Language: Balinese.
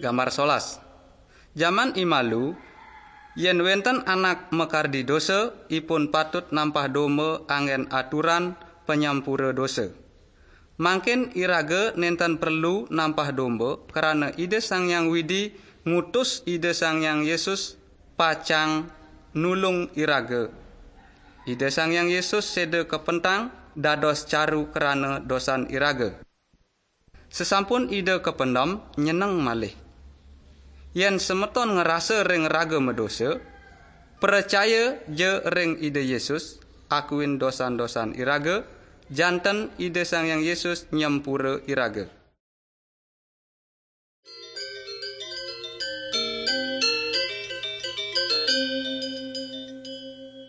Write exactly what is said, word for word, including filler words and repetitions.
Gambar solas. Jaman imalu, yen wenten anak makardi dosa, ipun patut nampah domba anggen aturan panyampura dosa. Mangkin iraga nenten perlu nampah domba, krana Ida Sang Hyang Widi ngutus Ida Sang Hyang Yesus pacang nulung iraga. Ida Sang Hyang Yesus seda kapentang dados caru krana dosan iraga. Sesampun Ida kapendem, nyeneng malih. Yen semeton ngrasa ring raga madosa, pracaya ja ring Ida Yesus, akuin dosan-dosan iraga, janten Ida Sang Hyang Yesus nyempura iraga.